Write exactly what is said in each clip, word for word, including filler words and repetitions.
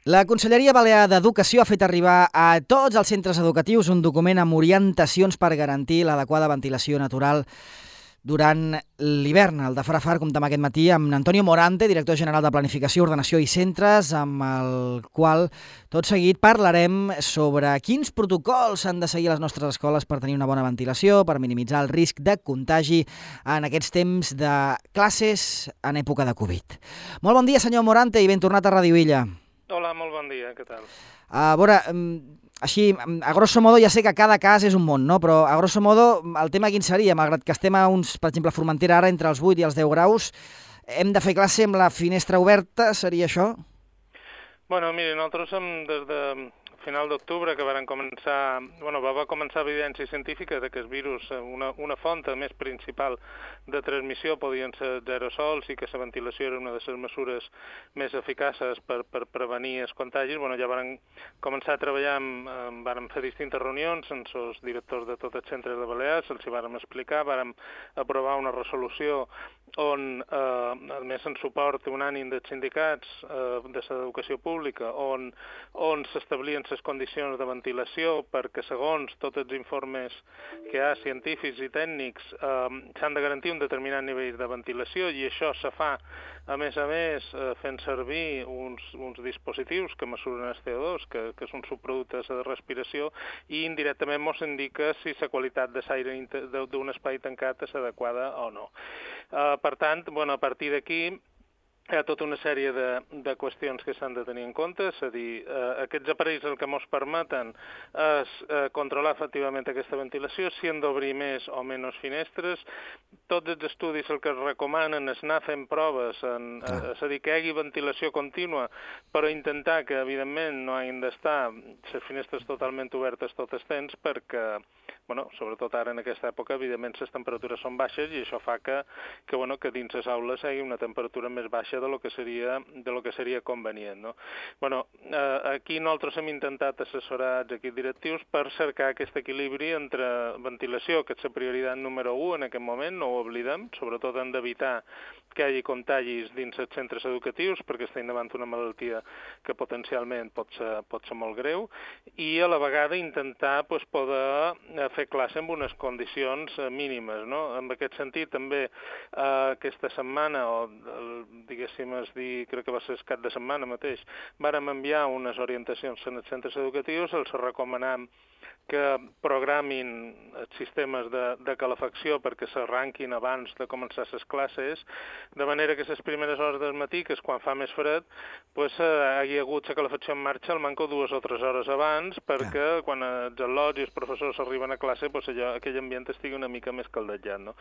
La Conselleria Balear d'Educació ha fet arribar a tots els centres educatius un document amb orientacions per garantir l'adequada ventilació natural durant l'hivern. El de Farafar comptem aquest matí amb Antonio Morante, director general de Planificació, Ordenació i Centres, amb el qual tot seguit parlarem sobre quins protocols s'han de seguir a les nostres escoles per tenir una bona ventilació, per minimitzar el risc de contagi en aquests temps de classes en època de Covid. Molt bon dia, senyor Morante, i ben tornat a Ràdio Illa. Hola, molt bon dia, què tal? A veure, així, a grosso modo, ja sé que cada cas és un món, no? Però a grosso modo, el tema quin seria? Malgrat que estem a uns, per exemple, a Formentera ara entre els vuit i els deu graus, hem de fer classe amb la finestra oberta, seria això? Bueno, miri, nosaltres som des de final d'octubre que varen començar, bueno, va, va començar evidència científica de que el virus, una, una font més principal de transmissió podien ser els aerosols i que la ventilació era una de les mesures més eficaces per, per prevenir els contagis. Bueno, ja varen començar a treballar, amb, amb, varen fer distintes reunions amb els directors de tots els centres de Balears, els hi vàrem explicar, vàrem aprovar una resolució on, eh, a més en suport unànim dels sindicats eh, de l'educació pública, on, on s'establien les condicions de ventilació perquè segons tots els informes que hi ha científics i tècnics eh, s'han de garantir un determinat nivell de ventilació i això se fa a més a més eh, fent servir uns, uns dispositius que mesuren el C O dos, que, que són subproductes de respiració i indirectament ens indica si la qualitat de l'aire d'un espai tancat és adequada o no. Uh, per tant, bueno, a partir d'aquí hi ha tota una sèrie de, de qüestions que s'han de tenir en compte, és a dir, eh, aquests aparells el que ens permeten és eh, controlar efectivament aquesta ventilació, si han d'obrir més o menys finestres. Tots els estudis el que es recomanen és anar fent proves, en, eh, és a dir, que hi hagi ventilació contínua, però intentar que, evidentment, no hagin d'estar les finestres totalment obertes tot el temps, perquè, bueno, sobretot ara en aquesta època, evidentment, les temperatures són baixes i això fa que, que, bueno, que dins les aules hi hagi una temperatura més baixa de lo que seria, de lo que seria convenient, no? Bueno, eh, aquí nosaltres hem intentat assessorar els equips directius per cercar aquest equilibri entre ventilació, que és la prioritat número u en aquest moment, no ho oblidem, sobretot hem d'evitar que hi hagi contagis dins els centres educatius, perquè estem davant una malaltia que potencialment pot ser, pot ser molt greu, i a la vegada intentar pues, poder fer classe amb unes condicions mínimes, no? En aquest sentit, també eh, aquesta setmana, o diguéssim, es dir, crec que va ser el cap de setmana mateix, vàrem enviar unes orientacions en els centres educatius, els recomanam que programin els sistemes de, de calefacció perquè s'arranquin abans de començar les classes, de manera que les primeres hores del matí, que és quan fa més fred, pues, eh, hi ha hagut la calefacció en marxa al manco dues o tres hores abans, perquè ah. quan els al·lots i els professors arriben a classe, pues, allò, aquell ambient estigui una mica més caldejat, no?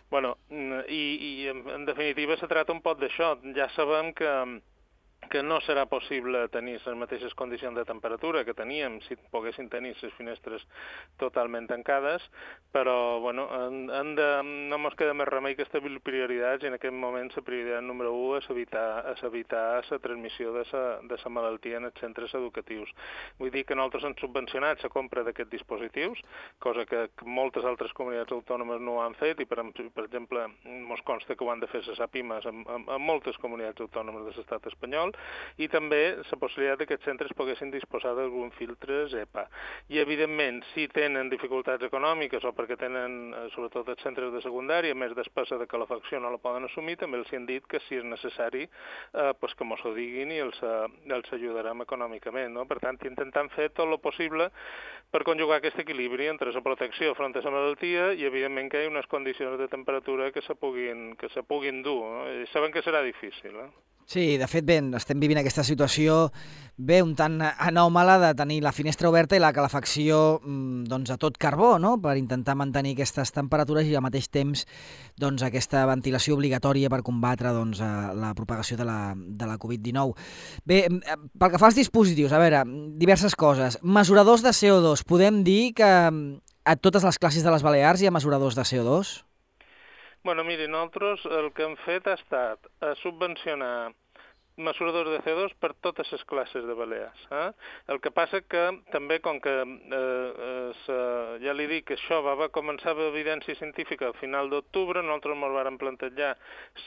Bueno, i, i en, en definitiva se tracta un poc d'això. Ja sabem que que no serà possible tenir les mateixes condicions de temperatura que teníem si poguessin tenir les finestres totalment tancades, però bueno, han, han de, no ens queda més remei que establir prioritats i en aquest moment la prioritat número u és evitar, és evitar la transmissió de la malaltia en els centres educatius. Vull dir que nosaltres hem subvencionat la compra d'aquests dispositius, cosa que moltes altres comunitats autònomes no ho han fet i per, per exemple ens consta que ho han de fer les APIMAs en, en, en moltes comunitats autònomes de l'estat espanyol, i també la possibilitat que aquests centres poguessin disposar d'algun filtre EPA. I, evidentment, si tenen dificultats econòmiques o perquè tenen, sobretot els centres de secundària, més despesa de calefacció no la poden assumir, també els han dit que si és necessari, eh, pues que mos ho diguin i els, els ajudarem econòmicament, no? Per tant, intentant fer tot el possible per conjugar aquest equilibri entre la protecció front a la malaltia i, evidentment, que hi ha unes condicions de temperatura que se puguin, que se puguin dur, no? I saben que serà difícil, eh? Sí, de fet, bé, estem vivint aquesta situació bé un tant anòmala de tenir la finestra oberta i la calefacció doncs, a tot carbó, no? Per intentar mantenir aquestes temperatures i al mateix temps doncs, aquesta ventilació obligatòria per combatre doncs, la propagació de la, de la covid dinou. Bé, pel que fa als dispositius, a veure, diverses coses. Mesuradors de C O dos. Podem dir que a totes les classes de les Balears hi ha mesuradors de C O dos? Bueno, miri, nosaltres el que hem fet ha estat a subvencionar mesuradors de C O dos per totes les classes de Balears. Eh? El que passa que també, com que eh, eh, ja li dic que això va, va començar amb evidència científica al final d'octubre, nosaltres ens vàrem plantejar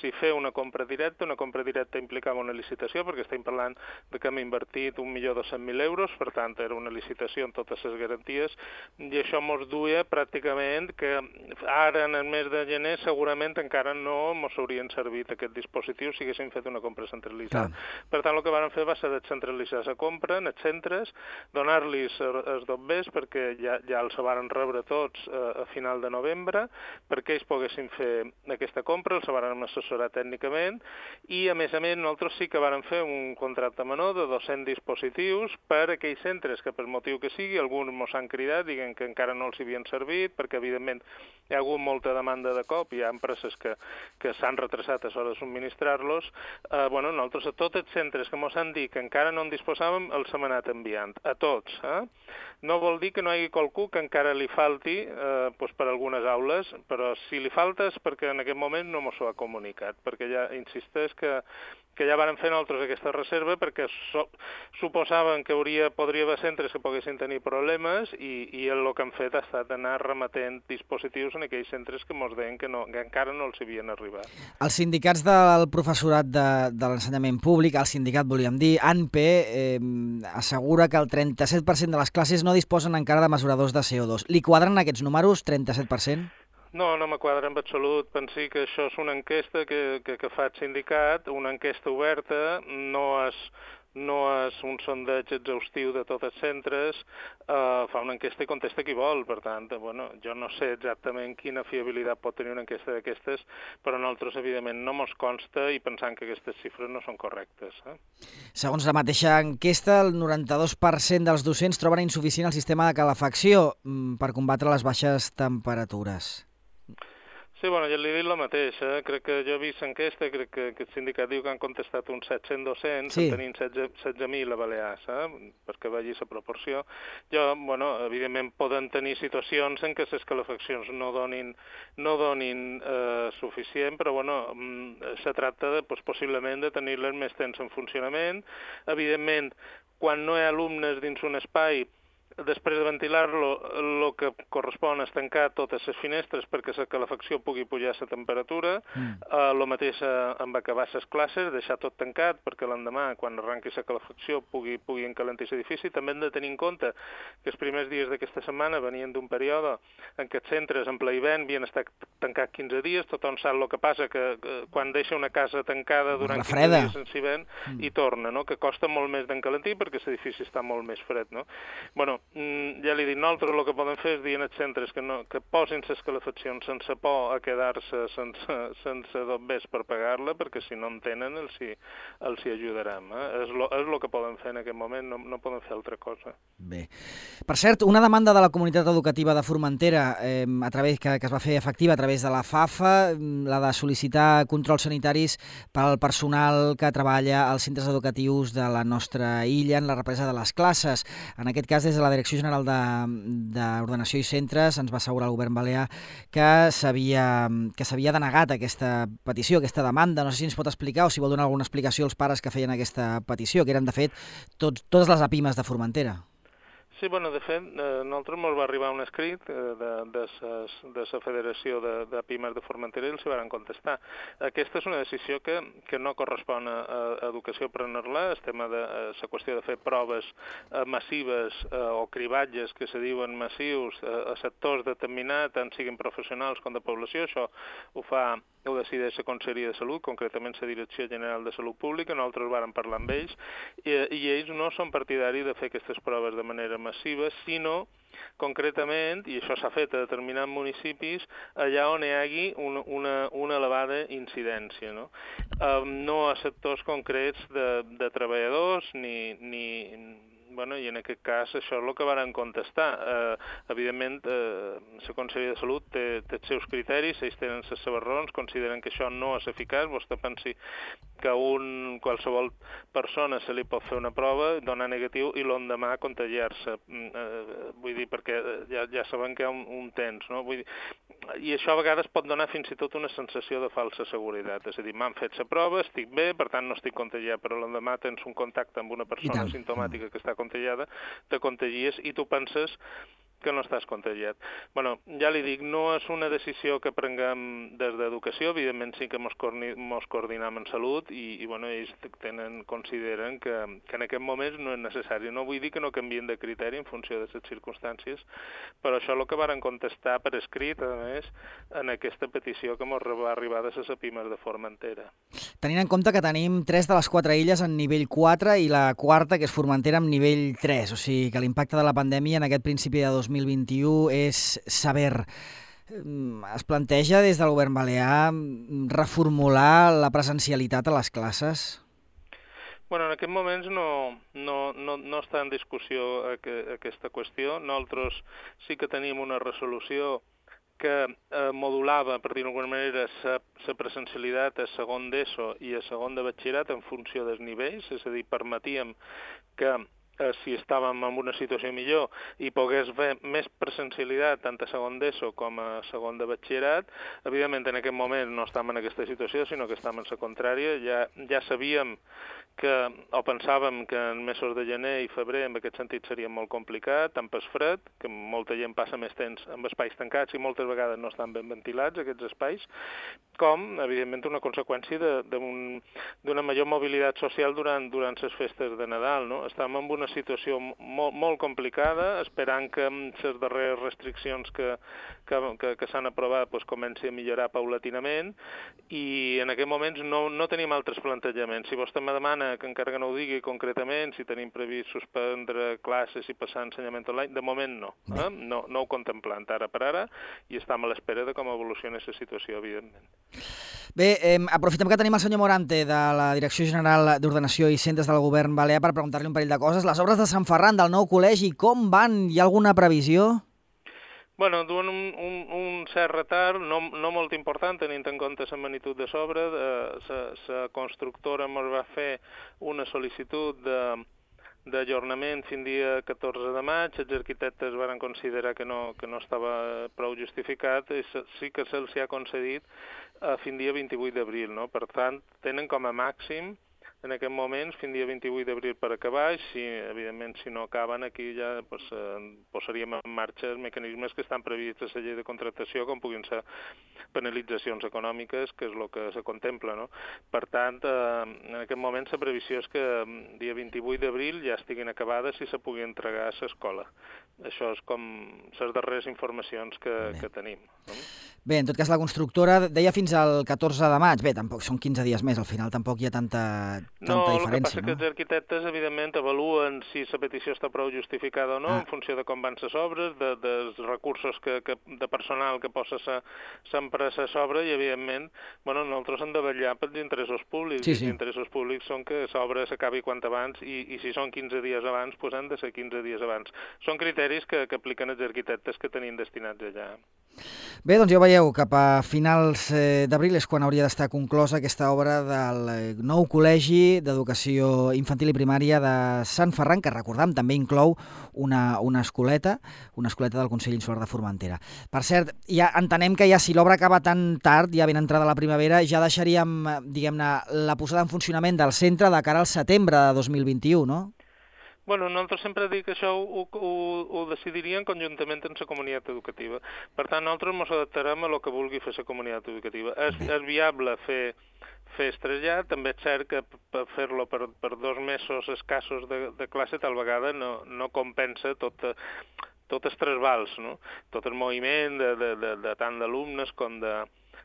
si fer una compra directa. Una compra directa implicava una licitació, perquè estem parlant de que hem invertit un milió dos-cents mil euros, per tant era una licitació amb totes les garanties, i això ens duia pràcticament que ara en el mes de gener segurament encara no ens haurien servit aquests dispositius si haguéssim fet una compra centralitzada. Clar. Per tant, el que vam fer va ser descentralitzar la compra en els centres, donar-los els dobbers perquè ja, ja els varen rebre tots eh, a final de novembre, perquè ells poguessin fer aquesta compra, els varen assessorar tècnicament, i a més a més nosaltres sí que vàrem fer un contracte menor de dos-cents dispositius per a aquells centres que per motiu que sigui, alguns mos han cridat, diguen que encara no els havien servit, perquè evidentment hi ha hagut molta demanda de cop, hi ha empreses que, que s'han retrasat a l'hora de subministrar-los. Eh, bueno, nosaltres a tots els centres que mos han dit que encara no en disposàvem, els hem anat enviant, a tots. Eh? No vol dir que no hi hagi qualcú que encara li falti eh, doncs per algunes aules, però si li falta és perquè en aquest moment no mos ho ha comunicat, perquè ja insisteix que que ja varen fer nosaltres aquesta reserva perquè so, suposaven que hauria, podria haver centres que poguessin tenir problemes i, i el que han fet ha estat anar remetent dispositius en aquells centres que ens deien que, no, que encara no els havien arribat. Els sindicats del professorat de, de l'ensenyament públic, el sindicat volíem dir, A N P, eh, assegura que el trenta-set per cent de les classes no disposen encara de mesuradors de C O dos. Li quadren aquests números, trenta-set per cent? No, no me quadra en absolut. Pensi que això és una enquesta que, que, que fa el sindicat, una enquesta oberta, no és, no és un sondeig exhaustiu de tots els centres, eh, fa una enquesta i contesta qui vol. Per tant, bueno, jo no sé exactament quina fiabilitat pot tenir una enquesta d'aquestes, però a nosaltres, evidentment, no mos consta i pensant que aquestes xifres no són correctes. Eh? Segons la mateixa enquesta, el noranta-dos per cent dels docents troben insuficient el sistema de calefacció per combatre les baixes temperatures. Sí, bueno, ja li he dit el mateix, eh? Crec que jo he vist enquesta, crec que, que el sindicat diu que han contestat uns set-cents docents, sí. En tenim setze mil a Balears, eh? Perquè vegi la proporció. Jo, bueno, evidentment poden tenir situacions en què les calefaccions no donin, no donin eh, suficient, però bueno, se tracta de, pues, possiblement de tenir-les més temps en funcionament. Evidentment, quan no hi ha alumnes dins un espai, després de ventilar-lo, el que correspon és tancar totes les finestres perquè la calefacció pugui pujar la temperatura. Mm. El mateix amb acabar les classes, deixar tot tancat perquè l'endemà, quan arranqui la calefacció, pugui, pugui encalentir l'edifici. També hem de tenir en compte que els primers dies d'aquesta setmana venien d'un període en què els centres en ple hivern havien estat tancats quinze dies. Tothom sap el que passa, que, que quan deixa una casa tancada durant quinze dies en hivern mm. i torna, no? Que costa molt més d'encalentir perquè l'edifici està molt més fred. No? Bueno, ja li dic, nosaltres el que podem fer és dir als centres que, no, que posin les calefaccions sense por a quedar-se sense, sense dobbers per pagar-la, perquè si no en tenen els hi, els hi ajudarem. Eh? És lo, és el que podem fer en aquest moment, no, no podem fer altra cosa. Bé. Per cert, una demanda de la comunitat educativa de Formentera eh, a través que, que es va fer efectiva a través de la FAFA, la de sol·licitar controls sanitaris per al personal que treballa als centres educatius de la nostra illa en la represa de les classes. En aquest cas, des de la Direcció General d'Ordenació i Centres ens va assegurar el govern balear que s'havia que s'havia denegat aquesta petició, aquesta demanda. No sé si ens pot explicar o si vol donar alguna explicació als pares que feien aquesta petició, que eren, de fet, tot, totes les APIMES de Formentera. Sí, bueno, de fet, eh, nosaltres ens va arribar un escrit eh, de, de, ses, de la Federació de, de Pimes de Formentera i els hi van contestar. Aquesta és una decisió que, que no correspon a, a educació prendre-la, el tema de la qüestió de fer proves eh, massives eh, o cribatges que se diuen massius eh, a sectors determinats, tant siguin professionals com de població. Això ho fa ho decideix la Conselleria de Salut, concretament la Direcció General de Salut Pública. Nosaltres vàrem parlar amb ells i, i ells no són partidaris de fer aquestes proves de manera massiva, sinó concretament, i això s'ha fet a determinats municipis, allà on hi hagi una, una, una elevada incidència. No, um, no a sectors concrets de, de treballadors ni... ni Bueno, i en aquest cas això és el que varen contestar. Eh, evidentment, eh, la Conselleria de Salut té, té els seus criteris, ells tenen les seves raons, consideren que això no és eficaç. Vostè pensi que a un, qualsevol persona se li pot fer una prova, donar negatiu i l'endemà contagiar-se. Eh, vull dir, perquè ja, ja sabem que hi ha un, un temps, no? Vull dir, i això a vegades pot donar fins i tot una sensació de falsa seguretat. És a dir, m'han fet la prova, estic bé, per tant no estic contagiat, però l'endemà tens un contacte amb una persona simptomàtica que està contagiada, te contagies i tu penses que no estàs contagiat. Bueno, ja li dic, no és una decisió que prenguem des d'educació, evidentment sí que mos coordinem en salut i, i bueno, ells tenen, consideren que, que en aquest moment no és necessari. No vull dir que no canvien de criteri en funció de les circumstàncies, però això és el que varen contestar per escrit, a més, en aquesta petició que mos va arribar de les Epimes de Formentera. Tenint en compte que tenim tres de les quatre illes en nivell quatre i la quarta, que és Formentera, en nivell tres, o sigui que l'impacte de la pandèmia en aquest principi de dos mil vint-i-u és sever. Es planteja des del govern balear reformular la presencialitat a les classes? Bueno, en aquests moments no, no, no, no està en discussió aquesta qüestió. Nosaltres sí que tenim una resolució que eh, modulava, per dir-ho d'alguna manera, la presencialitat a segon d'ESO i a segon de batxillerat en funció dels nivells, és a dir, permetíem que eh, si estàvem en una situació millor i pogués haver més presencialitat tant a segon d'ESO com a segon de batxillerat. Evidentment, en aquest moment no estàvem en aquesta situació, sinó que estàvem en la contrària. Ja, ja sabíem que, o pensàvem que en mesos de gener i febrer en aquest sentit seria molt complicat, tant per fred, que molta gent passa més temps en espais tancats i moltes vegades no estan ben ventilats aquests espais, com, evidentment, una conseqüència d'una major mobilitat social durant, durant les festes de Nadal. No? Estàvem en una situació molt, molt complicada, esperant que les darreres restriccions que, que, que, que s'han aprovat pues, comenci a millorar paulatinament, i en aquest moments no, no tenim altres plantejaments. Si vostè me demana, que encara que no ho digui concretament, si tenim previst suspendre classes i passar a ensenyament online, de moment no. Eh? No, no ho contemplem ara per ara i estem a l'espera de com evoluciona aquesta situació, evidentment. Bé, eh, aprofitem que tenim el senyor Morante de la Direcció General d'Ordenació i Centres del Govern Balear per preguntar-li un parell de coses. Les obres de Sant Ferran del nou col·legi, com van? Hi ha alguna previsió? Bueno, duen un, un, un cert retard, no, no molt important, tenint en compte la magnitud de l'obra. La constructora ens va fer una sol·licitud de d'ajornament fins dia catorze de maig, els arquitectes van considerar que no, que no estava prou justificat i sí que se'ls ha concedit a fins dia vint-i-vuit d'abril, no? Per tant, tenen com a màxim en aquest moment, fins dia vint-i-vuit d'abril per acabar, i si, evidentment, si no acaben, aquí ja pues, eh, posaríem en marxa els mecanismes que estan previstos a la llei de contractació, com puguin ser penalitzacions econòmiques, que és el que se contempla. No? Per tant, eh, en aquest moment la previsió és que dia vint-i-vuit d'abril ja estiguin acabades i se pugui entregar a l'escola. Això és com les darreres informacions que, que tenim. No? Bé, en tot cas, la constructora deia fins al catorze de maig. Bé, tampoc són quinze dies més, al final tampoc hi ha tanta, tanta no, diferència. No, el que passa no? que els arquitectes, evidentment, avaluen si la petició està prou justificada o no, ah. en funció de com van les obres, de, dels recursos que, que, de personal que posa l'empresa a sobre, i, evidentment, bueno, nosaltres hem de vetllar pels interessos públics. Sí, sí. Els interessos públics són que l'obra s'acabi quant abans, i, i si són quinze dies abans, doncs han de ser quinze dies abans. Són criteris que, que apliquen els arquitectes que tenim destinats allà. Bé, doncs ja ho veieu, cap a finals d'abril és quan hauria d'estar conclosa aquesta obra del nou col·legi d'educació infantil i primària de Sant Ferran, que recordam també inclou una, una escoleta, una escoleta del Consell Insular de Formentera. Per cert, ja entenem que ja si l'obra acaba tan tard, ja ben entrada la primavera, ja deixaríem, diguem-ne, la posada en funcionament del centre de cara al setembre de dos mil vint-i-u, no? Bueno, nosaltres sempre dic que això ho, ho, ho decidirien conjuntament amb la comunitat educativa. Per tant, nosaltres ens adaptarem a el que vulgui fer la comunitat educativa. És, és viable fer, fer estrellat, també és cert que per fer-lo per, per dos mesos escassos de, de classe tal vegada no, no compensa tot, tot el trasbals, no? Tot el moviment de, de, de, de tant d'alumnes com de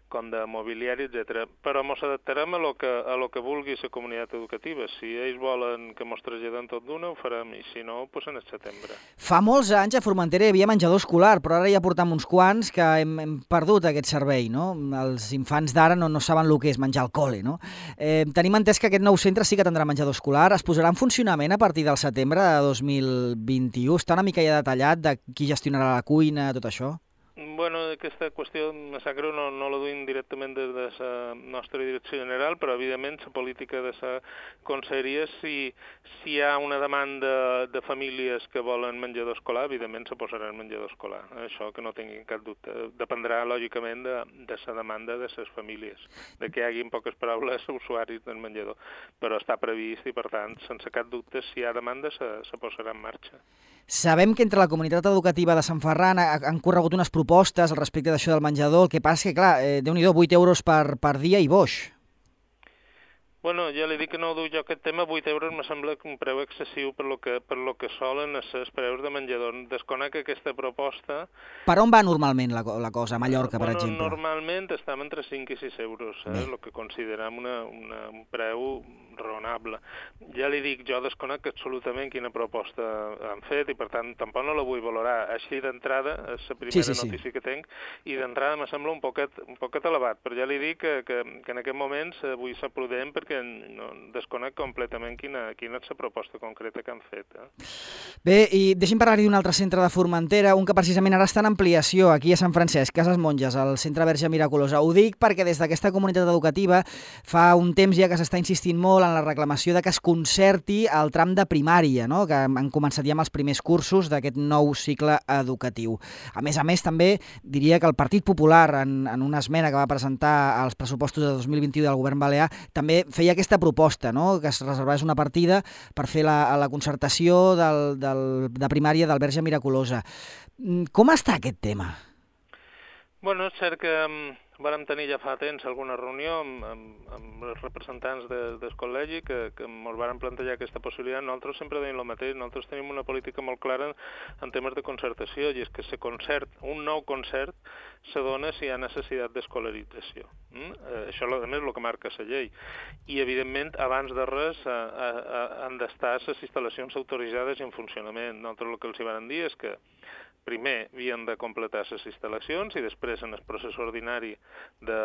com de mobiliari, etcètera. Però ens adaptarem a lo que, a lo que vulgui la comunitat educativa. Si ells volen que ens traslladem tot d'una, ho farem, i si no, doncs en el setembre. Fa molts anys a Formentera hi havia menjador escolar, però ara ja portam uns quants que hem, hem perdut aquest servei, no? Els infants d'ara no, no saben el que és menjar al col·le, no? Eh, tenim entès que aquest nou centre sí que tindrà menjador escolar. Es posarà en funcionament a partir del setembre de dos mil vint-i-u? Està una mica ja detallat de qui gestionarà la cuina, tot això? Bueno, aquesta qüestió, me sap greu, no, no la duim directament des de la nostra direcció general, però evidentment la política de la conselleria, si, si hi ha una demanda de famílies que volen menjador escolar, evidentment se posarà el menjador escolar. Això que no tinguin cap dubte. Dependrà, lògicament, de, de la demanda de les famílies, de que hi hagi, en poques paraules, usuaris del menjador. Però està previst i, per tant, sense cap dubte, si hi ha demanda, se, se posarà en marxa. Sabem que entre la comunitat educativa de Sant Ferran han corregut unes propostes al respecte d'això del menjador. El que passa és que, clar, eh, Déu-n'hi-do, vuit euros per, per dia i boix. Bueno, ja li dic que no ho duc jo aquest tema, vuit euros me sembla un preu excessiu per lo que, per lo que solen ser els preus de menjador. Desconec aquesta proposta. Per on va normalment la, la cosa, a Mallorca, per bueno, exemple? Normalment estem entre cinc i sis euros, eh, el que considerem una, una, un preu raonable. Ja li dic, jo desconec absolutament quina proposta han fet i per tant tampoc no la vull valorar. Així d'entrada, és la primera sí, sí, notícia sí. que tinc i d'entrada me sembla un poquet, un poquet elevat, però ja li dic que, que, que en aquest moment vull ser prudent perquè no, desconec completament quina, quina és la proposta concreta que han fet. Eh? Bé, i deixi'm parlar-hi d'un altre centre de Formentera, un que precisament ara està en ampliació aquí a Sant Francesc, Cases Monges, al Centre Verge Miraculosa. Ho dic perquè des d'aquesta comunitat educativa fa un temps ja que s'està insistint molt en la reclamació de que es concerti el tram de primària, no? Que han començat ja amb els primers cursos d'aquest nou cicle educatiu. A més a més, també diria que el Partit Popular, en, en una esmena que va presentar als pressupostos de dos mil vint-i-u del govern balear, també feia aquesta proposta, no? Que es reservés una partida per fer la, la concertació del, del, de primària del Verge Miraculosa. Com està aquest tema? Bueno, és cert que um, vàrem tenir ja fa temps alguna reunió amb, amb, amb els representants de, del col·legi que, que ens varen plantejar aquesta possibilitat. Nosaltres sempre deim el mateix, nosaltres tenim una política molt clara en, en temes de concertació i és que se concert, un nou concert se dona si hi ha necessitat d'escolarització. Mm? Eh, això, a més, és el que marca la llei. I, evidentment, abans de res eh, eh, han d'estar les instal·lacions autoritzades i en funcionament. Nosaltres el que els hi van dir és que primer havien de completar les instal·lacions i després en el procés ordinari de,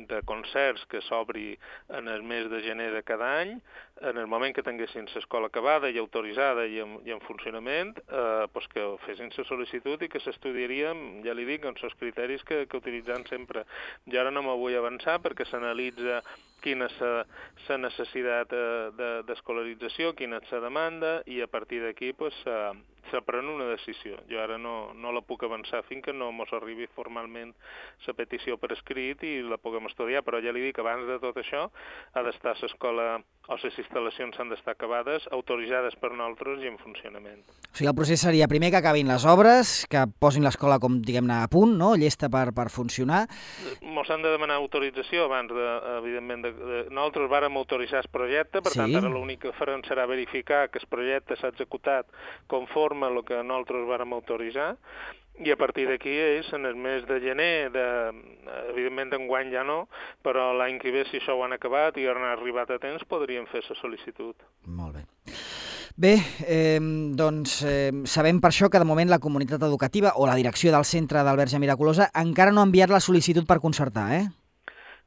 de concerts que s'obri en el mes de gener de cada any, en el moment que tinguessin l'escola acabada i autoritzada i en, i en funcionament, eh, pues que fessin la sol·licitud i que s'estudiarien, ja li dic, amb els criteris que, que utilitzant sempre. Jo ara no me vull avançar perquè s'analitza quina és la necessitat d'escolarització, quina és la demanda i a partir d'aquí pues, se pren una decisió. Jo ara no, no la puc avançar fins que no ens arribi formalment la petició per escrit i la puguem estudiar, però ja li dic, abans de tot això ha d'estar l'escola o les instal·lacions han d'estar acabades, autoritzades per nosaltres i en funcionament. O sigui, el procés seria primer que acabin les obres, que posin l'escola, com diguem-ne, a punt, no? Llesta per, per funcionar. Ens han de demanar autorització abans, de, evidentment, de, de, nosaltres vàrem autoritzar el projecte, per sí. tant, ara l'únic que farem serà verificar que el projecte s'ha executat conforme el que nosaltres vàrem autoritzar, i a partir d'aquí és en el mes de gener, de, evidentment d'enguany ja no, però l'any que ve, si això ho han acabat i han arribat a temps, podríem fer la sol·licitud. Molt bé. Bé, eh, doncs eh, sabem per això que de moment la comunitat educativa o la direcció del centre del Verge Miraculosa encara no ha enviat la sol·licitud per concertar, eh?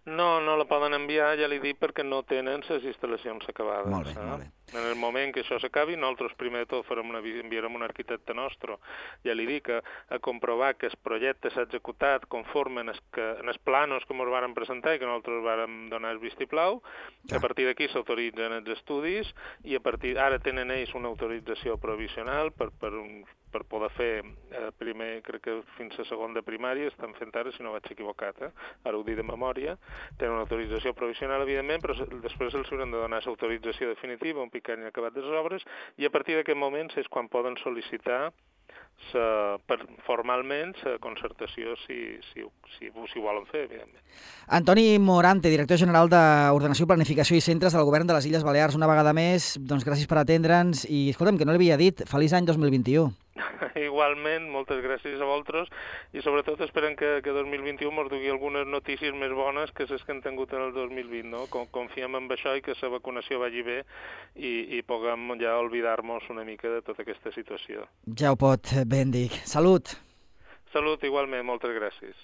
No, no la poden enviar, ja li dic, perquè no tenen les instal·lacions acabades. Molt bé, eh? molt bé. En el moment que això s'acabi, nosaltres primer de tot farem una, enviarem un arquitecte nostre, ja li dic, a, a comprovar que el projecte s'ha executat conforme en els, que, en els planos que ens varen presentar i que nosaltres vàrem donar el vistiplau. Ja. A partir d'aquí s'autoritzen els estudis i a partir ara tenen ells una autorització provisional per, per, un, per poder fer eh, primer, crec que fins a segon de primària, estan fent ara, si no vaig equivocat, eh? Ara ho dic de memòria, tenen una autorització provisional, evidentment, però després els hauran de donar l'autorització definitiva, un pic que han acabat les obres, i a partir d'aquest moment és quan poden sol·licitar sa, per, formalment la concertació si, si, si, si ho volen fer, evidentment. Antoni Morante, director general d'Ordenació, Planificació i Centres del Govern de les Illes Balears, una vegada més, doncs gràcies per atendre'ns i, escolta'm, que no l'havia dit, feliç any dos mil vint-i-u. Igualment, moltes gràcies a vosaltres i sobretot esperem que, que dos mil vint-i-u ens dugui algunes notícies més bones que les que hem tingut en el dos mil vint, no? Confiem en això i que la vacunació vagi bé i, i puguem ja oblidar-nos una mica de tota aquesta situació. Ja ho pot ben dir. Salut! Salut, igualment, moltes gràcies.